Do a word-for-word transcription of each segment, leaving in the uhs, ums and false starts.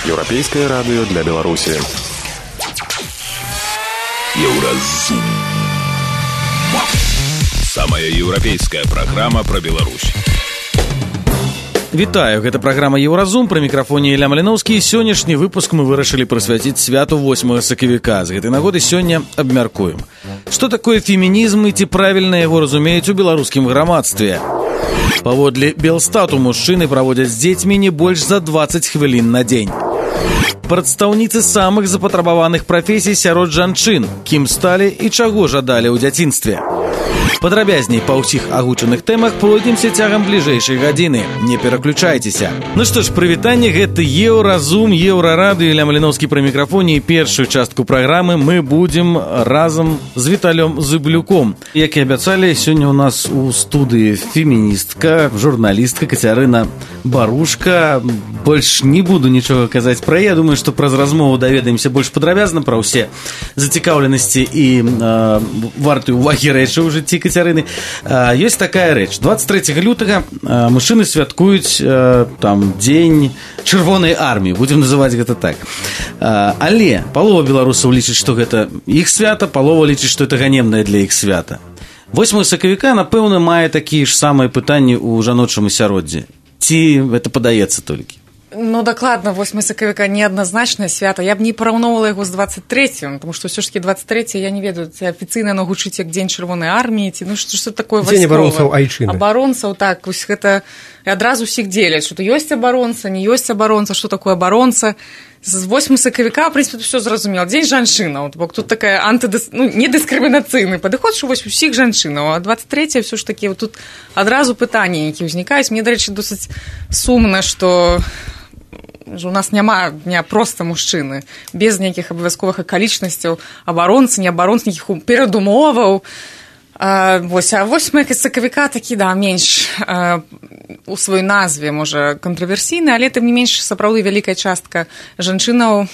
Еўрапейскае радыё для Беларусі. Еўразум. Самая еўрапейская праграма пра Беларусь. Вітаю, гэта праграма «Еўразум», пры мікрафоне Ілля Маліноўскі. Сённяшні выпуск мы вырашылі прысвяціць святу восьмага сакавіка. З гэтай нагоды сёння абмяркуем. Што такое фемінізм і ці правільна яго разумеюць у беларускім грамадстве? Паводле Белстату мужчыны праводзяць з дзецьмі не больш за дваццаць хвілін на дзень. Прадстаўніцы самых запатрабаваных прафесій сярод жанчын, кім сталі і чаго жадалі ў дзяцінстве. Падрабязней па ўсіх агучаных тэмах пройдземся цягам бліжэйшай гадзіны. Не пераключайцеся. Ну што ж, прывітанне, гэта Еўразум, Еўрарадыё, Ілля Маліноўскі пры мікрафоне, і першую частку праграмы мы будзем разам з Віталём Зыблюком. Як і абяцалі, сёння ў нас у студыі феміністка, журналістка Кацярына Барушка. Больш не буду нічога казаць пра яе, думаю, што праз размову даведаемся больш падрабязна пра ўсе зацікаўленасці і э, вартыя ўвагі рэчы ў жыцці Кацярыны. Э, ёсць такая рэч. дваццаць трэцяга лютага э, мужчыны святкуюць э, там дзень чырвонай арміі, будзем называць гэта так. Э, але палова беларусаў лічыць, што гэта іх свята, палова лічыць, што гэта ганебнае для іх свята. восьмага сакавіка, напэўна, мае такія ж самыя пытанні ў жаночым асяроддзі. Ці гэта падаецца толькі? Ну, дакладна, восьмага сакавіка неадназначнае свята. Я б не параўноўвала яго з дваццаць трэцім, тому што ўсё ж такі дваццаць трэцяе, я не ведаю, ці афіцыйна яно гучыць як дзень чырвонай арміі, ці ну што што такое вайсковае. Дзень абаронцаў айчыны. Абаронцаў, так, вось гэта адразу ўсіх дзеляць, што ёсць абаронца, не ёсць абаронца, што такое абаронца. З восьмага сакавіка, в прынцыпе, ўсё зразумела. Дзень жанчынаў, бок тут такая антыдыс... ну, недыскрымінацыйны падыход, што вось усіх жанчынаў, а дваццаць трэцяе ўсё ж такі тут адразу пытанні, якія ўзнікаюць. Мне, дарэчы, досыць сумна, што у нас няма дня проста мужчыны, без нейкіх абавязковых акалічнасцяў, абаронцы, не абаронцы, нейкіх перадумоваў. А, вось, а восьмага сакавіка такі, да, менш а, у сваёй назве, можа, кантраверсійны, але тым не менш сапраўды вялікая частка жанчынаў.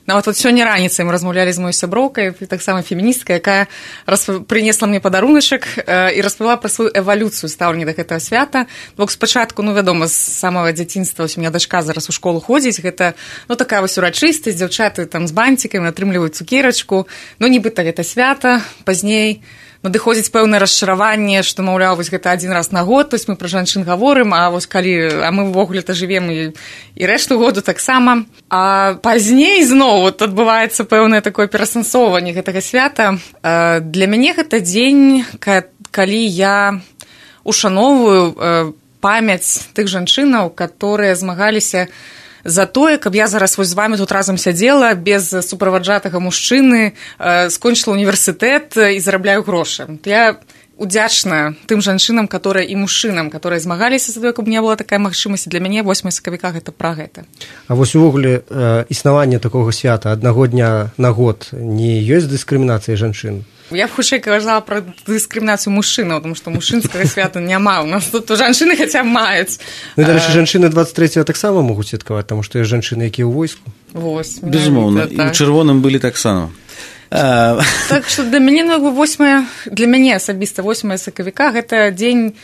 Нават вот сёння раніцай мы размаўлялі з маёй сяброўкай, таксама феміністка, якая расп... прынесла мне падаруначак э, і распавяла пра сваю эвалюцыю стаўлення да гэтага свята. Бок спачатку, ну, вядома, з самага дзяцінства, у меня дачка зараз у школу ходзіць, гэта, ну, такая вось урачыстасць, дзяўчаты там з бантикамі атрымліваюць цукерачку, ну, нібыта гэта свята, пазней надыходзіць пэўнае расчараванне, што, маўляў, вось гэта адзін раз на год, то есть мы пра жанчын гаворым, а вось калі, а мы ўвогуле-то жывем і, і рэшту году таксама. А пазней зноў вот адбываецца пэўнае такое перасэнсоўванне гэтага свята. Для мяне гэта дзень, калі я ушаноўваю памяць тых жанчынаў, которые змагаліся за тое, каб я зараз вось з вами тут разам сядзела без суправаджатага мужчыны, э, скончыла універсітэт і зарабляю грошы. Я удзячна тым жанчынам, которые і мужчынам, которые змагаліся за тое, каб не была такая магчымасць. Для мяне восьмага сакавіка гэта пра гэта. А вось увогуле э, існаванне такога свята аднаго дня на год не ёсць дыскрымінацыяй жанчын? Я б хутчэй казала пра дыскрымінацыю мужчынаў, тому што мужчынскага свята няма. У нас тут жанчыны хаця б маюць. Ну, дарэчы, жанчыны дваццаць трэцяга таксама могуць святкаваць, таму што ёсць жанчыны, якія ў войску. Вось. Безумоўна, і ў чырвоным былі таксама. Так што для мяне, ну, восьмага, для мяне асабіста восьмага сакавіка гэта дзень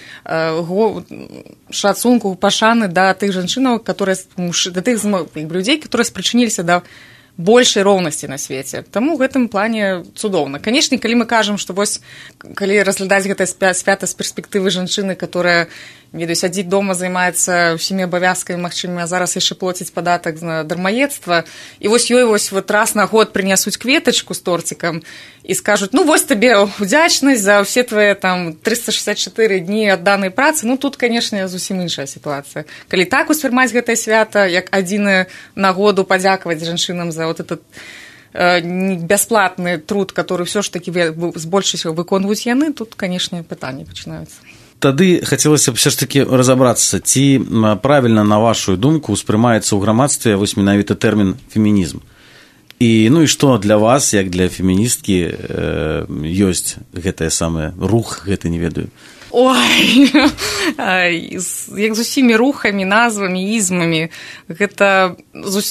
шацунку, пашаны да тых жанчынаў, которые, да тых людзей, которые спрычыніліся да большай роўнасці на свеце. Таму ў гэтым плане цудоўна. Канешне, калі мы кажам, што вось, калі разглядаць гэтае свята з перспектывы жанчыны, которая, ведаю, сядзіць дома, займаецца ўсімі абавязкамі магчымымі, а зараз яшчэ плоціць падатак на дармаедства, і вось ёй вось вот раз на год прынясуць кветачку з торцікам і скажуць, ну, вось табе удзячнасць за ўсе твае там трыста шэсцьдзесят чатыры дні адданай працы. Ну, тут, канешне, зусім іншая сітуацыя. Калі так успрымаць гэтае свята, як адзіную нагоду падзякаваць жанчынам за вот этот э, бясплатны труд, который все ж таки з большасцю выконваюць яны, тут, канешне, пытанні пачынаюцца. Тады хацелася б все ж таки разабрацца, ці правільна, на вашу думку, успрымаецца ў грамадстве вось менавіта тэрмін фемінізм. І, ну і што для вас, як для феміністкі, э, ёсць гэтае самае рух, гэта не ведаю? Ой, як з усімі рухамі, назвамі, ізмамі, гэта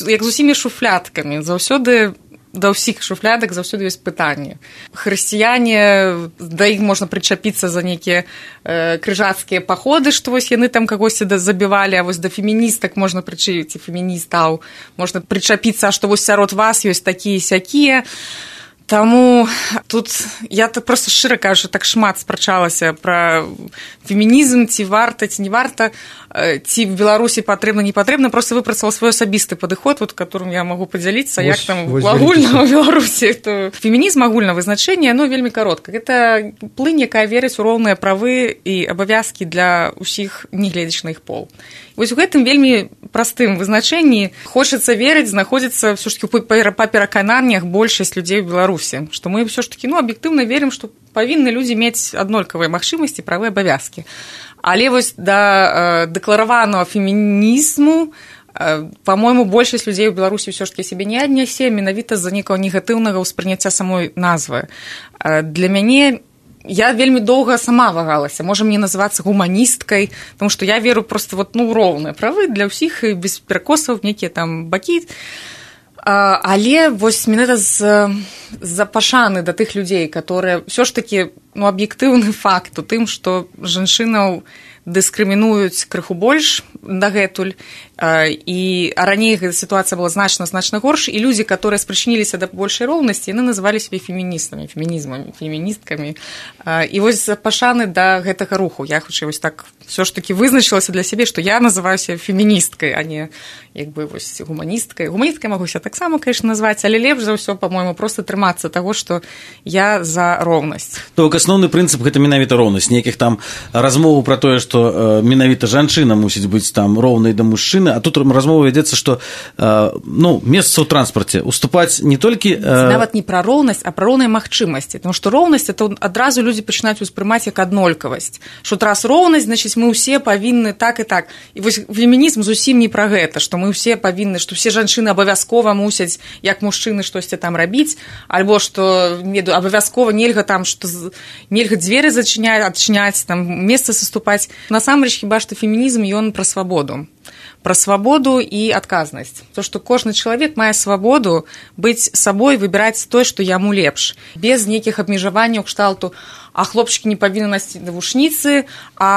як з усімі шуфляткамі. Заўсёды да ўсіх шуфлядак заўсёды ёсць пытанні. Хрысціяне, да іх можна прычапіцца за нейкія э, крыжацкія паходы, што вось яны там кагосьці забівалі, а вось да феміністак можна прычапіць, феміністаў, можна прычапіцца, што вось сярод вас ёсць такія-сякія. Таму тут я так проста шчыра кажу, так шмат спрачалася пра фемінізм, ці варта, ці не варта, ці в Беларусі патрэбна, не патрэбна, проста выпрацаваў свой асабісты падыход, вот, которым я магу падзяліцца, як там агульна ў Беларусі. То фемінізм агульна вызначэнне, оно вельмі каротка. Гэта плынь, якая верыць у роўныя правы і абавязкі для ўсіх, не гледзячы на іх пол. Вось у гэтым вельмі простым вызначэнні хочацца верыць, знаходзіцца ўсё ж такі па перакананнях большасць людзей у Беларусі, што мы ўсё ж такі, ну, аб'ектыўна верым, што павінны людзі мець аднолькавыя магчымасці, правы, абавязкі. Але вось да э, дэклараванага фемінізму, э, па-мойму, большасць людзей у Беларусі ўсё ж такі сябе не аднясе менавіта з-за некага негатыўнага ўспрыняцця самой назвы. Э, для мяне я вельмі доўга сама вагалася, можа мне называцца гуманісткай, тому што я веру просто вот, ну, роўныя правы для ўсіх і без перакосаў, нейкія там бакі. Але вось менавіта з-за пашаны да тых людзей, которые ўсё ж такі, ну, аб'ектыўны факт у тым, што жанчынаў дыскрымінуюць крыху больш дагэтуль, і а раней гэта сітуацыя была значна значна горш, і людзі, которые спрычыніліся да большай роўнасці, яны называлі сябе феміністамі, фемінізмамі, феміністкамі. І вось пашаны да гэтага руху я хутчэй вось так ўсё ж такі вызначылася для сябе, што я называюся феміністкай, а не як бы вось гуманісткай. Гуманісткай магу ся таксама, конечно, назваць, але лепш за ўсё, па-мойму, проста трымацца таго, што я за роўнасць. То асноўны прынцып гэта менавіта роўнасць, нейкіх там размоваў пра тое, што менавіта жанчына мусіць быць там роўнай да мужчыны, а тут размова вядзецца, што ну, месца ў транспарце уступаць не толькі нават не пра роўнасць, а пра роўныя магчымасці, тому што роўнасць это адразу людзі пачынаюць успрымаць як аднолькавасць, што раз роўнасць, значыць мы ўсе павінны так і так. І вось фемінізм зусім не пра гэта, што мы ўсе павінны, што ўсе жанчыны абавязкова мусяць як мужчыны штосьці там рабіць, альбо што абавязкова нельга там што нельга дзверы зачыняць, адчыняць, там месца саступаць. Насамрэч хіба што фемінізм ён пра свабоду. Пра свабоду і адказнасць. То, што кожны чалавек мае свабоду быць сабой, выбіраць тое, што яму лепш. Без нейкіх абмежаванняў кшталту, а хлопчыкі не павінны насці навушніцы, а,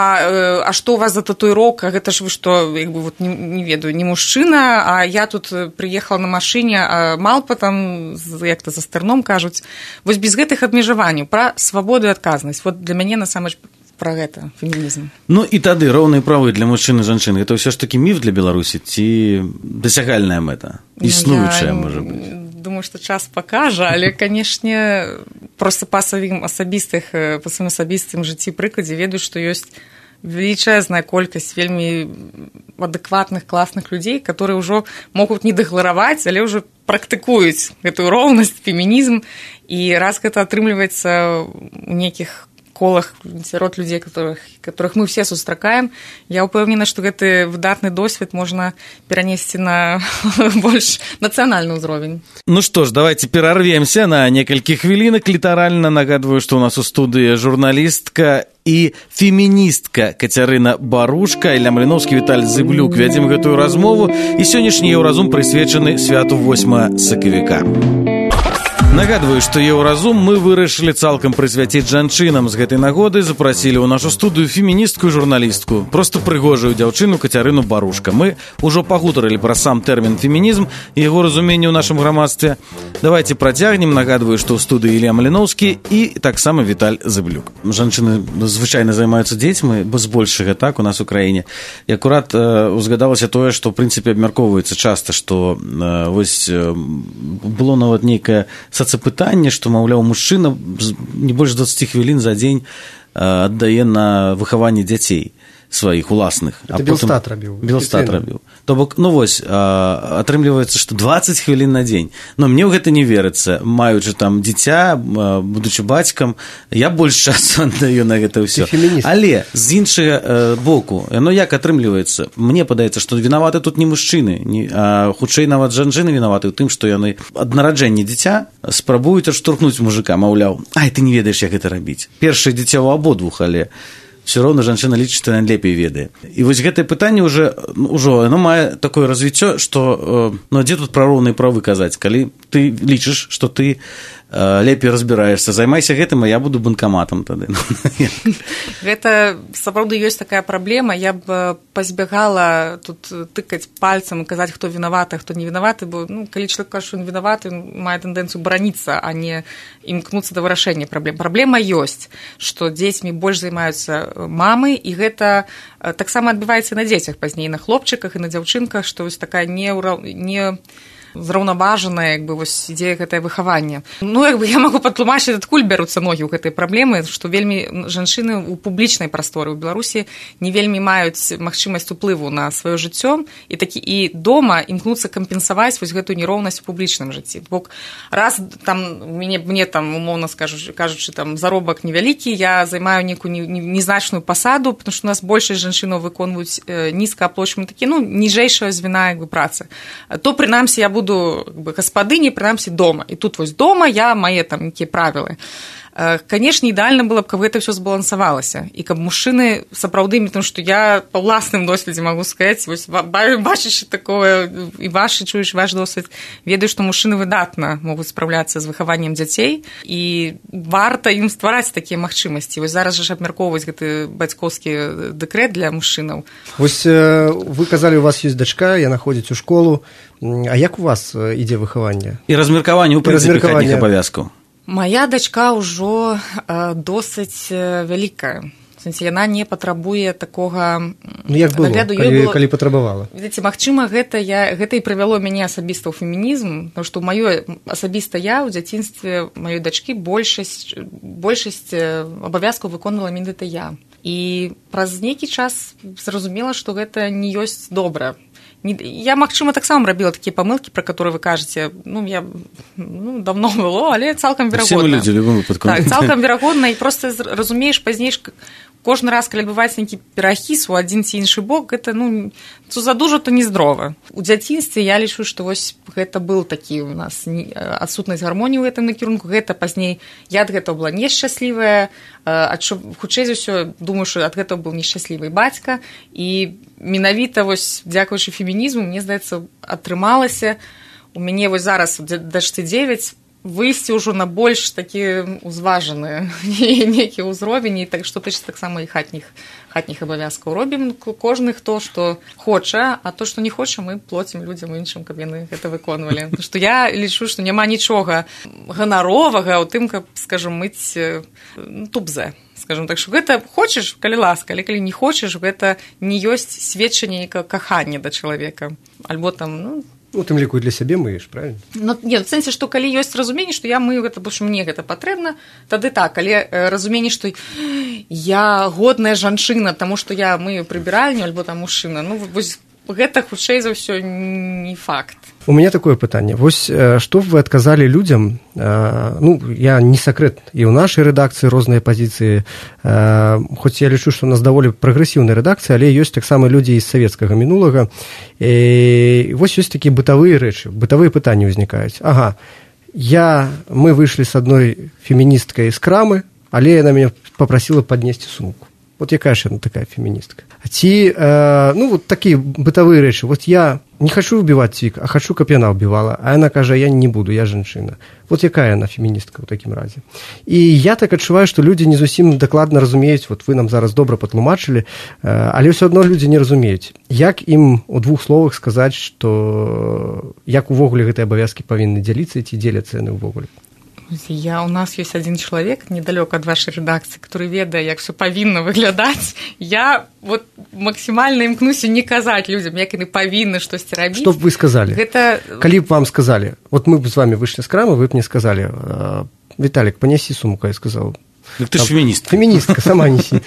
а што у вас за татуіроўка, гэта ж вы што, як бы, вот, не, не ведаю, не мужчына, а я тут прыехала на машыне, а малпа там, як-то за стырном кажуць. Вось без гэтых абмежаванняў, пра свабоду і адказнасць. Вот для мяне, насамрэч, пра гэта фемінізм. Ну і тады роўныя правы для мужчын і жанчын, гэта ўсё ж такі міф для Беларусі ці дасягальная мэта, існуючая, я, можа быць? Думаю, што час пакажа, але, канешне, проста па сваім асабістых, па сваім асабістым жыцці прыкладзе ведаю, што ёсць велічэзная колькасць вельмі адэкватных, класных людзей, которые ўжо могуць не дэклараваць, але ўжо практыкуюць гэтую роўнасць, фемінізм, і раз гэта атрымліваецца ў нейкіх колах сярод людзей, которых, которых мы все сустракаем, я ўпэўнена, што гэты выдатны досвед можна перанесці на больш нацыянальны ўзровень. Ну што ж, давайте перарвемся на некалькі хвілінак. Літаральна нагадваю, што у нас у студыі журналістка і феміністка Кацярына Барушка, Ілля Маліноўскі, Віталь Зыблюк. Вядзем гэтую размову, і сённяшні Еўразум прысвечаны святу восьмага сакавіка. Нагадваю, што Еўразум мы вырашылі цалкам прысвяціць жанчынам. З гэтай нагоды запрасілі ў нашу студыю феміністку і журналістку, проста прыгожую дзяўчыну Кацярыну Барушка. Мы ўжо пагутарылі пра сам тэрмін фемінізм і яго разуменне ў нашым грамадстве. Давайте працягнем. Нагадваю, што ў студыі Ілля Маліноўскі і таксама Віталь Зыблюк. Жанчыны звычайна займаюцца дзецьмі, бо збольшага так у нас у краіне. І акурат э, узгадалася тое, што ў прынцыпе абмяркоўваецца часта, што э, вось э, было нават нейкае сацапытанне, што, маўляў, мужчына не больш дваццаць хвілін за дзень аддае на выхаванне дзяцей сваіх уласных. Это Белстат рабіў. Белстат рабіў. То бок, ну вось, атрымліваецца, што дваццаць хвілін на дзень. Но мне ў гэта не верыцца. Маючы там дзіця, будучы бацькам, я больш часу аддаю на гэта ўсё. Але з іншага боку, яно як атрымліваецца? Мне падаецца, што вінаваты тут не мужчыны, а хутчэй нават жанчыны вінаваты ў тым, што яны ад нараджэння дзіця спрабуюць адштурхнуць мужика, маўляў, ай, ты не ведаеш, як гэта рабіць. Першае дзіця ў абодвух, але все роўна жанчына лічыць, што яна лепей ведае. І вось гэтае пытанне ўжо, ўжо оно мае такое развіццё, што ну, дзе тут пра роўныя правы казаць, калі ты лічыш, што ты лепей разбіраешься, займайся гэтым, а я буду банкаматам тады. Гэта, сапраўды, ёсць такая праблема. Я б пазбягала тут тыкаць пальцам і казаць, хто вінаваты, а хто не вінаваты, бо ну, калі чалавек кажа, што ён вінаваты, ён мае тэндэнцыю бараніцца, а не імкнуцца да вырашэння праблем. Праблема ёсць, што дзецьмі больш займаюцца мамы, і гэта таксама адбываецца на дзецях пазней, на хлопчыках і на дзяўчынках, што вось такая не... не зраўнаважанае, як бы, вось ідзея гэтае выхавання. Ну, як бы, я магу патлумачыць, адкуль бяруцца ногі ў гэтай праблемы, што вельмі жанчыны ў публічнай прасторы ў Беларусі не вельмі маюць магчымасць уплыву на сваё жыццё, і такі і дома імкнуцца кампенсаваць вось гэтую нероўнасць у публічным жыцці. Бо раз там мне, мне там, умоўна скажучы, кажучы, там заробак невялікі, я займаю нейкую незначную пасаду, потому што у нас большасць жанчынаў выконваюць нізкааплачваемыя такі, ну, ніжэйшая звіна, як бы, працы. То, прынамсі, я буду буду гаспадыні, прынамсі, дома. І тут вось дома я мае там нейкія правілы. Канешне, ідэальна было б, каб гэта ўсё збалансавалася. І каб мужчыны сапраўды, тому што я па ўласным досведзе магу сказаць, вось бачачы такое, і вашы чуеш ваш досвед, ведаю, што мужчыны выдатна могуць спраўляцца з выхаваннем дзяцей, і варта ім ствараць такія магчымасці. Вось зараз жа абмяркоўваць гэты бацькоўскі дэкрэт для мужчынаў. Вось вы казалі, у вас ёсць дачка, яна ходзіць у школу. А як у вас ідзе выхаванне? І размеркаванне ў прынцыпе хатніх абавязкаў. Мая дачка ўжо досыць вялікая. В сэнсе, яна не патрабуе такога ну, як было, нагляду. Калі, было... калі патрабавала? Ведаеце, магчыма, гэта, я, гэта і прывяло мяне асабіста ў фемінізм, тому што маё асабіста я ў дзяцінстве маёй дачкі большасць, большасць абавязкаў выконвала менавіта я. І праз нейкі час зразумела, што гэта не ёсць добра. Я, магчыма, таксама рабіла такія памылкі, пра которые вы кажаце, ну, я ну, давно было, але цалкам верагодна. Все мы людзі, в любым выпадку. Так, цалкам верагодна, і проста разумееш пазней, кожны раз, калі адбываецца нейкі перахіс у адзін ці іншы бок, гэта, ну, то задужа, то нездрова. У дзяцінстве я лічу, што вось гэта был такі у нас адсутнасць гармоніі ў гэтым накірунку, гэта пазней, я ад гэтага была нешчаслівая, хутчэй за ўсё, думаю, што ад гэтага быў нешчаслівы бацька, і менавіта вось дзякуючы фемінізму, мне здаецца, атрымалася у мяне вось зараз дачцы дзевяць выйсці ўжо на больш такі узважаны нейкі ўзровень, і так што тычыцца таксама і хатніх хатніх абавязкаў робім кожны хто што хоча, а то што не хоча, мы плоцім людзям іншым, каб яны гэта выконвалі. Што я лічу, што няма нічога ганаровага ў тым, каб, скажам, мыць тубзе. Скажем так, што гэта хочаш, калі ласка, але калі не хочаш, гэта не ёсць сведчанне нейкага кахання да чалавека. Альбо там, ну, ну, тым ліку для сябе мыеш, правильно? Ну, не, в сэнсе, што калі ёсць разуменне, што я мыю гэта, бо што мне гэта патрэбна, тады так, але разуменне, што я годная жанчына, таму што я мыю прыбіральню, альбо там мужчына, ну, вось гэта, хутчэй за ўсё, не факт. У меня такое пытанне. Вось што вы адказалі людзям, ну, я не сакрэт, і ў нашай рэдакцыі розныя пазіцыі, хоць я лічу, што у нас даволі прагрэсіўная рэдакцыя, але ёсць таксама людзі з савецкага мінулага. І вось ёсць такія бытавыя рэчы, бытавыя пытанні ўзнікаюць. Ага, я, мы выйшлі з адной феміністкай з крамы, але яна мяне папрасіла паднесці сумку. Вот якая ж яна такая феміністка. Ці, э, ну, вот такія бытавыя рэчы. Вот я не хочу убіваць цвік, а хочу, каб яна ўбівала. А яна кажа, я не буду, я жанчына. Вот якая яна феміністка ў такім разе. І я так адчуваю, што людзі не зусім дакладна разумеюць, вот вы нам зараз добра патлумачылі, э, але ўсё адно людзі не разумеюць. Як ім у двух словах сказаць, што як увогуле гэтыя абавязкі павінны дзяліцца, ці дзеляцца яны ўвогуле? Я, у нас есть один человек недалёка от вашей редакции, который ведае, як все павінна выглядаць. Я вот максимально імкнуся не казаць людям, як яны павінны штосьці рабіць. Што б вы сказали? Гэта... Калі б вам сказали, вот мы б з вами вышли з крамы, вы б мне сказали, Виталик, понеси сумку, я сказал. Так ты ж феміністка. Феміністка, сама неси.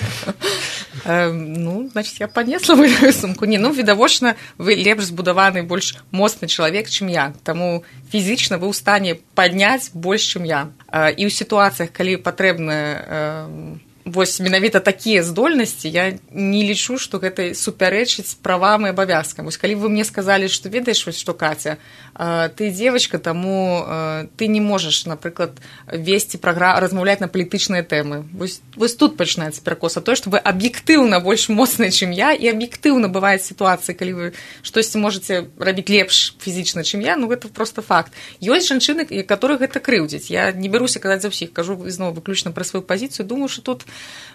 Ну, значит, я понесла мою сумку. Не, ну, відавочна, вы лепш збудаваны, больш моцны чалавек, чым я. Таму фізічна вы ў стане падняць больш, чым я. І ў сітуацыях, калі патрэбна вось менавіта такія здольнасці я не лічу, што гэта супярэчыць правам і абавязкам. Вось калі вы мне сказалі, што ведаеш, вось што Каця, ты дзевачка, таму ты не можаш, напрыклад, весці праграму, размаўляць на палітычныя тэмы. Вось, вось тут пачынаецца перакос, а тое, што вы аб'ектыўна больш моцныя, чым я, і аб'ектыўна бываюць сітуацыі, калі вы штосьці можаце рабіць лепш фізічна, чым я, ну гэта проста факт. Ёсць жанчыны, якіх гэта крыўдзіць. Я не бяруся казаць за ўсіх, кажу зноў выключна пра сваю пазіцыю, думаю, што тут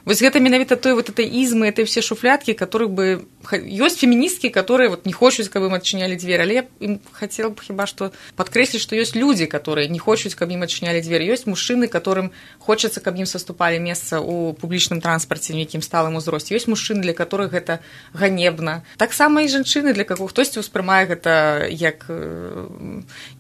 вось гэта менавіта той вот этой ізмы, этой все шуфляткі, которые бы... Ёсць феміністкі, которые вот не хочуць, каб ім адчынялі дзверы, але я ім хацела б хіба што падкрэсліць, што ёсць людзі, которые не хочуць, каб ім адчынялі дзверы. Ёсць мужчыны, которым хочацца, каб ім саступалі месца ў публічным транспарце, нейкім сталым узросце. Ёсць мужчыны, для которых гэта ганебна. Таксама і жанчыны, для каго хтосьці ўспрымае гэта як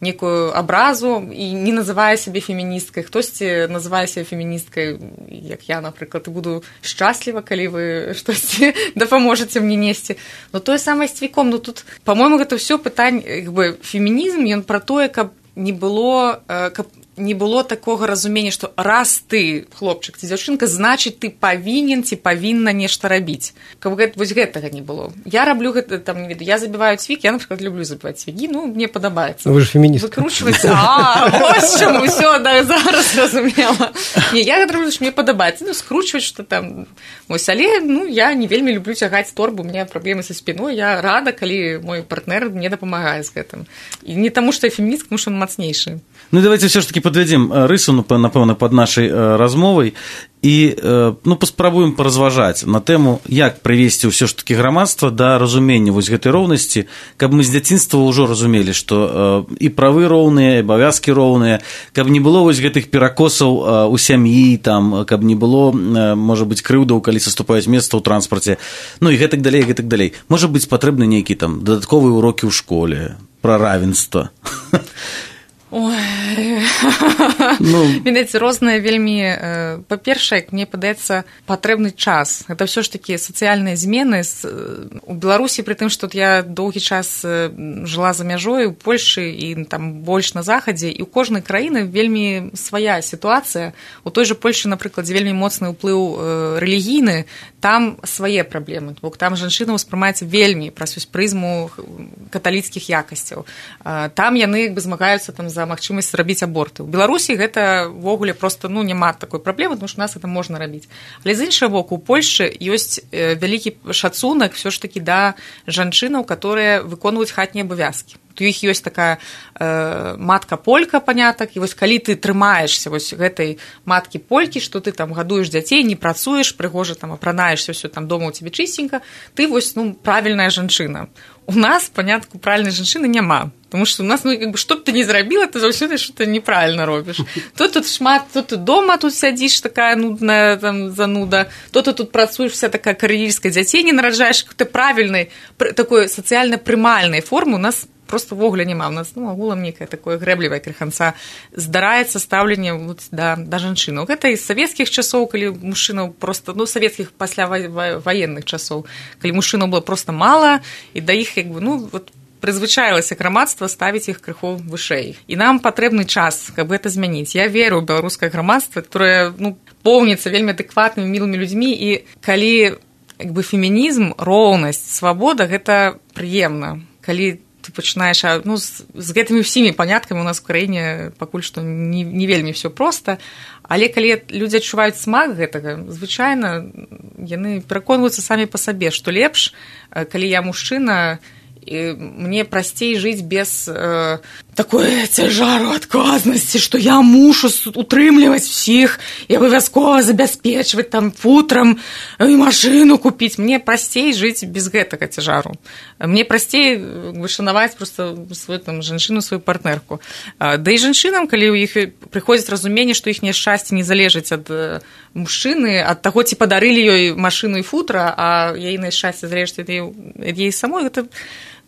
некую абразу і не называе сябе феміністкай, хтосьці называе сябе феміністкай, як я, напрыклад, і буду шчасліва, калі вы штосьці дапаможаце мне несці. Но тое самае з цвіком, ну тут, па-мойму, гэта ўсё пытанне, як бы, фемінізм, ён пра тое, каб не было, каб не было такога разумення, што раз ты, хлопчык, ці дзяўчынка, значыць, ты павінен ці павінна нешта рабіць. Каб гэта, вось гэтага не было. Я раблю гэта, там, не ведаю, я забіваю цвік, я, напрыклад, люблю забіваць цвігі, ну, мне падабаецца. Вы ж феміністка. Выкручваецца, а, вось чаму, ўсё, да, зараз зразумела. Не, я гэта раблю, што мне падабаецца, ну, скручваць, што там, вось, але, ну, я не вельмі люблю цягаць торбу, у меня праблемы са спіной, я рада, калі мой партнер мне дапамагае з гэтым. І не таму, што я феміністка, тому што ён мацнейшы. Ну, давайте все ж таки подведем рысу, напэўна, под нашай размовай і, ну, паспрабуем паразважаць на тэму, як прывесці ўсё ж таки грамадства да разумення вось гэтай роўнасці, каб мы з дзяцінства ўжо разумелі, што і правы роўныя, і абавязкі роўныя, каб не было вось гэтых перакосаў у сям'і, там, каб не было, можа быць, крыўдаў, калі саступаюць месца ў транспарце, ну і гэтак далей, гэтак далей. Можа быць, патрэбны нейкі там дадатковыя урокі ў школе пра равенства. Ой, ну... Відаць, розныя вельмі... Па-першае, мне падаецца, патрэбны час. Гэта ўсё ж такі сацыяльныя змены. У Беларусі, пры тым, што я доўгі час жыла за мяжой, у Польшы і там больш на захадзе, і ў кожнай краіны вельмі свая сітуацыя. У той жа Польшы, напрыклад, вельмі моцны ўплыў рэлігійны, там свае праблемы. Бо там жанчына ўспрымаецца вельмі праз прызму каталіцкіх якасцяў. Там яны як бы змагаюцца там за магчымасць рабіць аборты. У Беларусі гэта ўвогуле проста, ну, няма такой праблемы, тому што у нас гэта можна рабіць. Але з іншага боку, у Польшы ёсць вялікі шацунак ўсё ж такі да жанчынаў, которые выконваюць хатнія абавязкі. У іх ёсць такая э, матка-полька, панятак, і вось калі ты трымаешся вось гэтай маткі-полькі, што ты там гадуеш дзяцей, не працуеш, прыгожа там апранаешся, ўсё там дома ў цябе чысценька, ты вось, ну, правільная жанчына. У нас, панятку, правільнай жанчыны няма. Тому што у нас, ну, як бы, што б ты не зрабіла, ты заўсёды што-то неправільна робіш. То тут шмат, то ты дома тут сядзіш, такая нудная там зануда, то ты тут працуеш, вся такая кар'ерістка, дзяцей не нараджаеш, ты правільнай, такой сацыяльна-прымальнай формы у нас просто вогля няма. У нас, ну, агулам некае такое грэблівае крыханца здараецца стаўленне вот, да, да жанчынаў. Гэта і з савецкіх часоў, калі мужчынаў просто, ну, савецкіх пасля ваенных часоў, калі мужчынаў было просто мала, і да іх, як бы, ну, вот, прызвычаілася грамадства ставіць іх крыху вышэй. І нам патрэбны час, каб гэта змяніць. Я веру ў беларускае грамадства, которое, ну, поўніцца вельмі адэкватнымі, мілымі людзьмі, і калі, як бы, фемінізм, роўнасць, свабода, гэта прыемна. Калі ты пачынаеш, ну, з, з гэтымі ўсімі паняткамі у нас в краіне пакуль што не, не вельмі ўсё проста, але калі людзі адчуваюць смак гэтага, звычайна яны пераконваюцца самі па сабе, што лепш, калі я мужчына, і мне прасцей жыць без э, такой цяжару адказнасці, што я мушу утрымліваць усіх і абавязкова забяспечваць там футрам і машыну купіць. Мне прасцей жыць без гэтага цяжару. Мне прасцей вышанаваць проста сваю там жанчыну, сваю партнерку. Да і жанчынам, калі ў іх прыходзіць разуменне, што іхняе шчасце не залежыць ад мужчыны, ад таго, ці падарылі ёй машыну і футра, а яе шчасце залежыць ад яе самой, гэта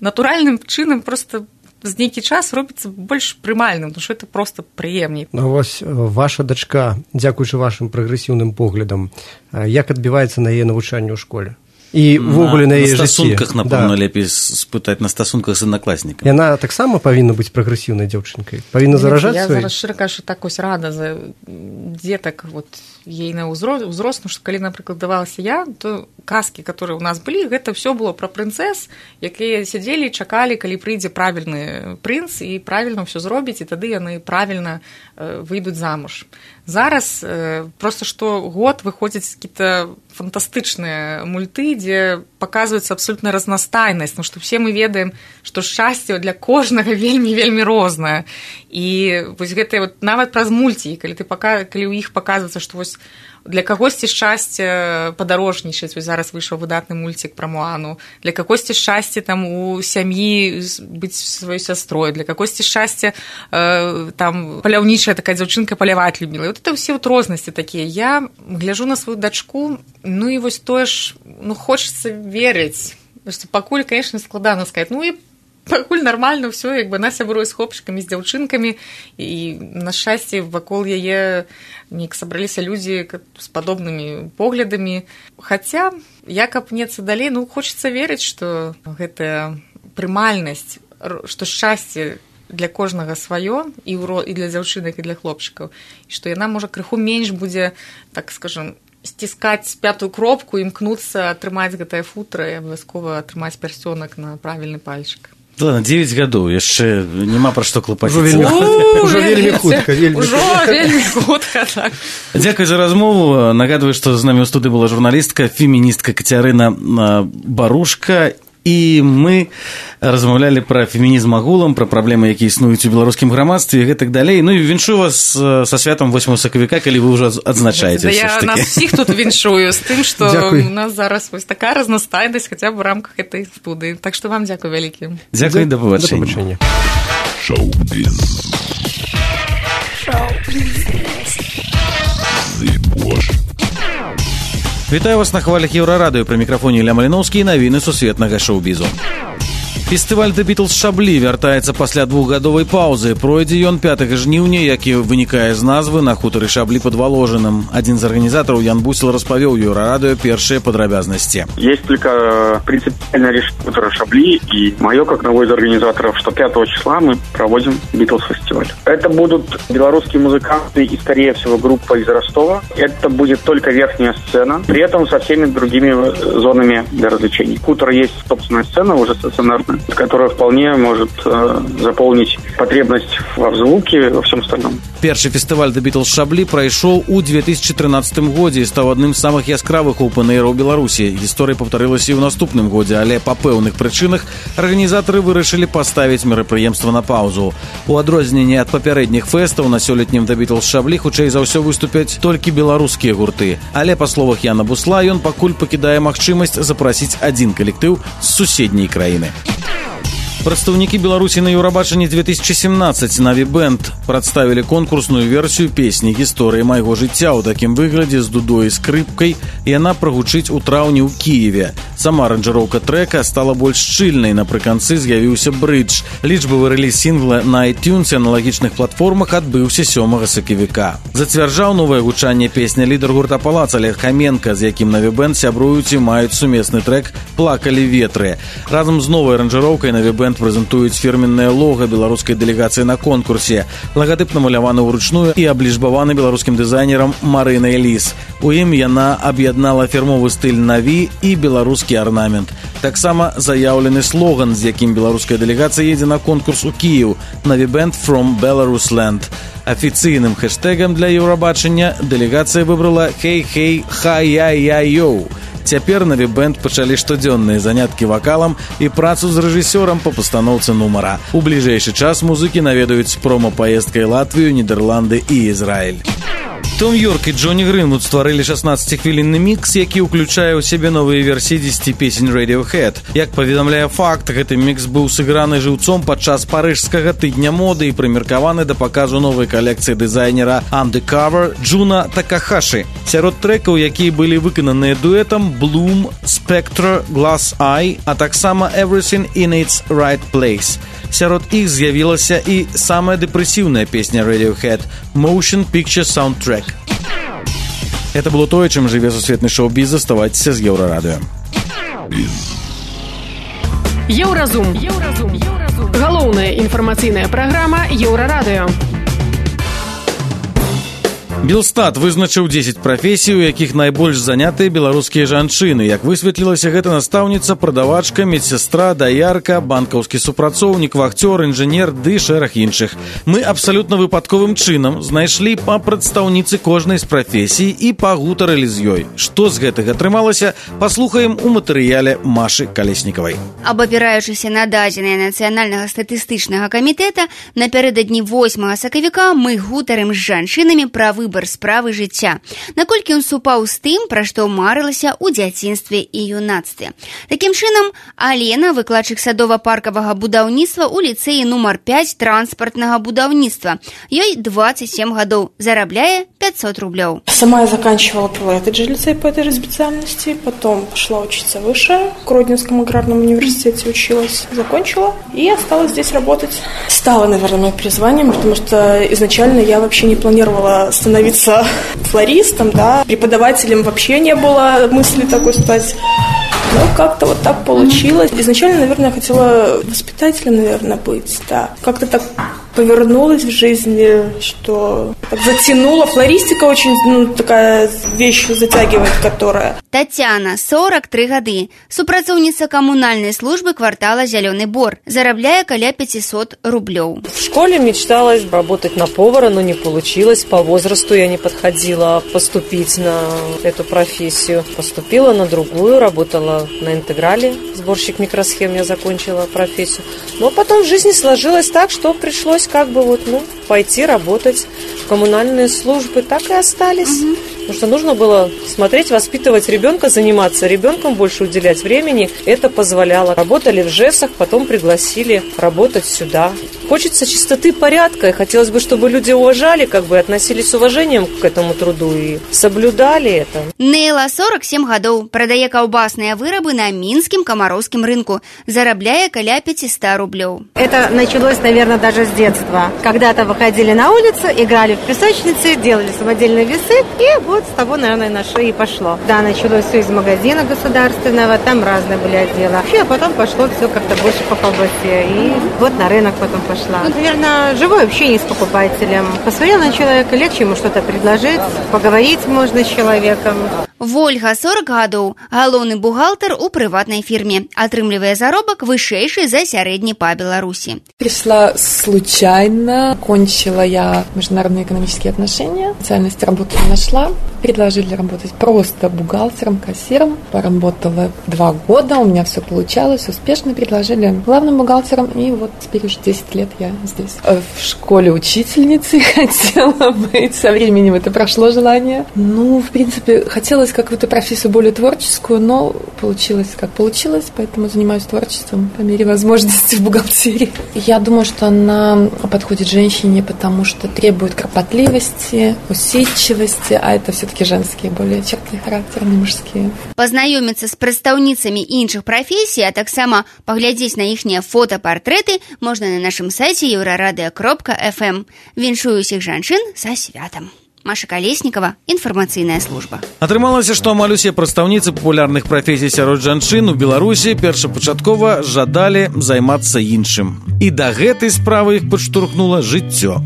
натуральным чынам просто з нейкі час робіцца больш прымальным, тому што это просто прыемней. Ну, вось ваша дачка, дзякуючы вашым прагрэсіўным поглядам, як адбіваецца на яе навучанне ў школе? і ўвогуле на, на яе жыцці. На стасунках, напэўна, да. лепей спытаць на стасунках з аднакласнікамі. Яна таксама павінна быць прагрэсіўнай дзяўчынкай? Павінна заражаць я свой? Я зараз шчыра кажу, так ось рада за дзетак вот, ейна ўзрост, ну, што калі, напрыклад, давалася я, то казкі, которые у нас былі, гэта ўсё было пра прынцэс, якія сядзелі і чакалі, калі прыйдзе правільны прынц і правільна ўсё зробіць, і тады яны правільна э, выйдуць замуж. Зараз э, просто што год выходзяць какие-то фантастычныя мульты, дзе паказваецца абсолютна разнастайнасць, ну што все мы ведаем, што шчасце для кожнага вельмі-вельмі рознае. І вось гэтыя вот нават праз мульці, калі ты пака... калі ў іх паказваецца, што вось для кагосьці шчасце падарожнічаць, вось зараз выйшаў выдатны мульцік пра Моану, для кагосьці шчасце там у сям'і быць сваёй сястрой, для кагосьці шчасце э, там паляўнічая такая дзяўчынка паляваць любіла. І вот это ўсе вот рознасці такія. Я гляжу на сваю дачку, ну і вось тое ж, ну хочацца верыць, што пакуль, конечно, складана сказаць, ну і пакуль нармальна ўсё, як бы она сябруе з хлопчыкамі, з дзяўчынкамі, і на шчасце вакол яе неяк сабраліся людзі з падобнымі поглядамі. Хаця, як апнецца далей, ну хочацца верыць, што гэтая прымальнасць, што шчасце для кожнага сваё, і для дзяўчынак, і для хлопчыкаў, і што яна, можа, крыху менш будзе, так скажам, сціскаць пятую кропку, імкнуцца атрымаць гэтае футра і абавязкова атрымаць пярсцёнак на правільны пальчык. Ладно, дзевяць гадоў, яшчэ няма пра што клапаціцца. Ужо вельмі хутка. Ужо вельмі хутка, так. Дзякуй за размову. Нагадваю, што з намі ў студыі была журналістка, феміністка Кацярына Барушка, і мы размаўлялі пра фемінізм агулам, пра праблемы, якія існуюць у беларускім грамадстве і гэтак далей. Ну і віншую вас са святам восьмага сакавіка, калі вы ўжо адзначаеце. Да я нас усіх тут віншую з тым, што у нас зараз вось такая разнастайнасць хаця б у рамках гэтай студыі. Так што вам дзякуй вялікі. Дзякуй, да пабачэння. Шоу-біз. Шоу-біз. Зыбош. Вітаю вас на хвалях Еўрарадыё, пры мікрафоне Ілля Маліноўскі і навіны сусветнага шоу-бізу. Фестываль The Beatles Шаблі вяртаецца пасля двухгадовай паўзы. Пройдзе ён пятага жніўня, які вынікае з назвы, на хутары Шаблі под Воложиным. Адзін з арганізатараў, Ян Бусел, распавёў Еўрарадыё першыя падрабязнасці. Есть только принципиальное решение хутора Шабли, и мое, как одного из организаторов, что пятого числа мы проводим Beatles фестиваль. Это будут белорусские музыканты и, скорее всего, группа из Ростова. Это будет только верхняя сцена, при этом со всеми другими зонами для развлечений. Хутор есть собственная сцена, уже стационарная, которая вполне может э, заполнить потребность во звуке, во всем остальном. Першы фестываль The Beatles Шаблі прайшоў у две тысячи трынаццатым годзе і стаў адным з самых яскравых оўпэн-эйраў Беларусі. Гісторыя паўтарылася і ў наступным годзе, але па пэўных прычынах арганізатары вырашылі паставіць мерапрыемства на паўзу. У адрозненне ад папярэдніх фэстаў на сёлетнім The Beatles Шаблі хутчэй за ўсё выступяць толькі беларускія гурты. Але, па словах Яна Бусла, ён пакуль пакідае магчымасць запрасіць адзін калектыў з суседняй краіны. Прадстаўнікі Беларусі на Еўрабачанні две тысячи семнадцать Наві Бэнд прадставілі конкурсную версію песні «Гісторыі майго жыцця» ў такім выглядзе з дудой і скрыпкай. Яна прагучыць у траўні ў Кіеве. Сама аранжыроўка трэка стала больш шчыльнай, напрыканцы з'явіўся брыдж. Лічбавы рэліз сінгла на iTunes і аналагічных платформах адбыўся сёмага сакавіка. Зацвярджаў новае гучанне песня лідар гурта «Палац» Олег Хаменка, з якім Наві Бэнд сябруюць і маюць сумесны трэк «Плакалі ветры». Разам з новай аранжыроўкай Наві Бэнд прэзентуюць фірменнае лога беларускай дэлегацыі на конкурсе. Лагатып намаляваны ўручную і аблічбаваны беларускім дызайнерам Марынай Ліс. У ім яна аб'яднала фірмовы стыль Наві і беларускі арнамент. Таксама заяўлены слоган, з якім беларуская дэлегацыя едзе на конкурс у Кіеў «Наві Бэнд from Belarus Land». Афіцыйным хэштэгам для Еўрабачання дэлегацыя выбрала «Хей-хей, ха-я-я-йоу». Цяпер Наві Бэнд пачалі штодзённыя заняткі вакалам і працу з рэжысёрам па пастаноўцы нумара. У бліжэйшы час музыкі наведаюць прома-паездкай Латвію, Нідерланды і Ізраіль. Том Йорк і Джонні Гринвуд стварылі шаснаццаціхвілінны мікс, які ўключае ў сябе новыя версіі дзесяці песень Radiohead. Як паведамляе факт, гэты мікс быў сыграны жыўцом падчас парыжскага тыдня моды і прымеркаваны да паказу новай калекцыі дызайнера Undercover Джуна Такахаши. Сярод трэкаў, якія былі выкананыя дуэтам, Bloom, Spectre, Glass Eye, а таксама Everything in its Right Place. Сярод іх з'явілася і самая дэпрэсіўная песня Radiohead Motion Picture Soundtrack. Это было тое, чым жыве сусветны шоу-біз. Заставайцеся з Еўрарадыё. Шоу-біз. Еўразум. Еўразум. Еўразум. Галоўная інфармацыйная праграма Еўрарадыё. Белстат вызначыў дзесяць прафесій, у якіх найбольш занятыя беларускія жанчыны. Як высветлілася, гэта настаўніца, прадавачка, медсястра, даярка, банкаўскі супрацоўнік, вахцёр, інжынер ды шэраг іншых. Мы абсалютна выпадковым чынам знайшлі па прадстаўніцы кожнай з прафесій і пагутарылі з ёй. Што з гэтага атрымалася, паслухаем у матэрыяле Машы Калеснікавай. Абапіраючыся на дадзеныя Нацыянальнага статыстычнага камітэта, напярэдадні восьмага сакавіка мы гутарым з жанчынамі пра выбар справы жыцця, наколькі ён супаў з тым, пра што марылася ў дзяцінстве і юнацтве. Такім чынам, Алена, выкладчык садова-паркавага будаўніцтва ў ліцэі нумар пяць транспартнага будаўніцтва. Ёй двадцать семь гадоў, зарабляе пятьсот рублёў. Сама я заканчивала этот же лицей по этой же специальности, потом пошла учиться выше, в Гродненском аграрном университете училась, закончила и осталась здесь работать. Стало, наверное, моим призванием, потому что изначально я вообще не планировала становиться флористом, да, преподавателем вообще не было мысли такой стать. Но как-то вот так получилось. Изначально, наверное, я хотела воспитателем, наверное, быть, да. Как-то так повернулась в жизни, что так затянула. Флористика очень, ну, такая вещь затягивает, которая... Татьяна, сорок три гады, супрацоўніца камунальнай службы квартала «Зелёный бор», зарабляя каля пятьсот рублёў. В школе мечталось работать на повара, но не получилось. По возрасту я не подходила поступить на эту профессию. Поступила на другую, работала на интеграле, сборщик микросхем, я закончила профессию. Но потом в жизни сложилось так, что пришлось как бы вот, ну, пойти работать в коммунальные службы. Так и остались. Угу. Потому что нужно было смотреть, воспитывать ребенка, заниматься ребенком, больше уделять времени. Это позволяло. Работали в ЖЭСах, потом пригласили работать сюда. Хочется чистоты, порядка. И хотелось бы, чтобы люди уважали, как бы относились с уважением к этому труду и соблюдали это. Нейла, сорок семь гадоў, продае каўбасныя вырабы на мінскім камароўскім рынку. Зарабляя каля пятьсот рублёў. Это началось, наверное, даже с детства. Когда-то выходили на улицу, играли в песочнице, делали самодельные весы, и вот с того, наверное, на шее и пошло. Да, началось все из магазина государственного, там разные были отделы. А потом пошло все как-то больше по колбасе. И вот на рынок потом пошла. Ну, наверное, живое общение с покупателем. Посмотрел на человека, легче ему что-то предложить, поговорить можно с человеком. Вольга, сорок гадоў, галоўны бухгалтер у прыватнай фірме. Атрымлівае заробак вышэйшы за сярэдні па Беларусі. Пришла случайно, кончила я международные экономические отношения, специальность работы не нашла, предложили работать просто бухгалтером, кассиром, поработала два года, у меня все получалось, успешно предложили главным бухгалтером, и вот теперь уже десять лет я здесь. В школе учительницей хотела быть, со временем это прошло желание. Ну, в принципе, хотелось какую-то профессию более творческую, но получилось как получилось, поэтому занимаюсь творчеством по мере возможности в бухгалтерии. Я думаю, что она подходит женщине, потому что требует кропотливости, усидчивости, а это все-таки женские более черты характерные, мужские. Пазнаёміцца з прадстаўніцамі іншых прафесій, а таксама паглядзець на іхнія фотапартрэты можна на нашым сайце еўрарадыё кропка эф эм. Віншую ўсіх жанчын са святам. Маша Калеснікава, інфармацыйная служба. Атрымалася, што амаль усе прадстаўніцы папулярных прафесій сярод жанчын у Беларусі першапачаткова жадалі займацца іншым. І да гэтай справы іх падштурхнула жыццё.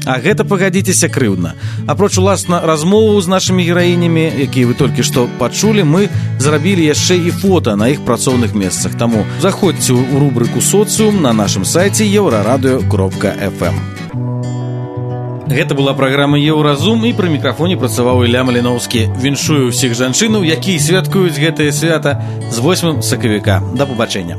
А гэта, пагадзіцеся, крыўдна. Апроч уласна размоваў з нашымі гераінямі, якія вы толькі што пачулі, мы зрабілі яшчэ і фота на іх працоўных месцах. Таму заходзьце ў рубрыку «Соцыум» на нашым сайце еўрарадыё кропка эф эм. Гэта была праграма «Еўразум», і пры мікрафоне працаваў Ілля Маліноўскі. Віншую ўсіх жанчынаў, якія святкуюць гэтае свята з восьмым сакавіка. Да пабачэння.